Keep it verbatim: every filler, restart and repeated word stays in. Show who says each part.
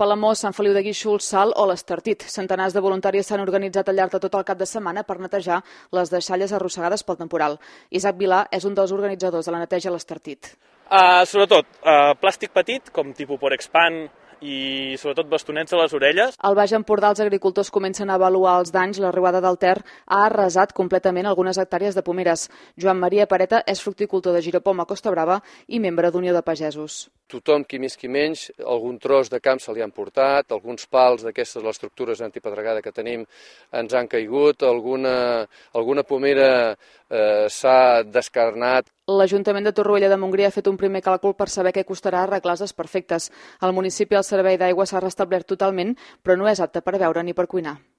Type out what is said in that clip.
Speaker 1: Palamós, Sant Feliu de Guíxols, Salt o l'Estartit. Centenars de voluntaris s'han organitzat al llarg de tot el cap de setmana per netejar les deixalles arrossegades pel temporal. Isaac Vilà és un dels organitzadors de la neteja a l'Estartit.
Speaker 2: Uh, sobretot, uh, plàstic petit, com tipus Porexpan, i sobretot bastonets a les orelles.
Speaker 1: Al Baix Empordà els agricultors comencen a avaluar els danys. La riuada del Ter ha arrasat completament algunes hectàrees de pomeres. Joan Maria Pareta és fructicultor de Giropom a Costa Brava i membre d'Unió de Pagesos.
Speaker 3: Tothom, qui més qui menys, algun tros de camp se li han portat, alguns pals d'aquestes, les estructures antipedregada que tenim, ens han caigut, alguna, alguna pomera eh, s'ha descarnat.
Speaker 1: L'Ajuntament de Torroella de Montgrí ha fet un primer càlcul per saber què costarà arreglar els desperfectes. Al municipi el servei d'aigua s'ha restablert totalment, però no és apte per beure ni per cuinar.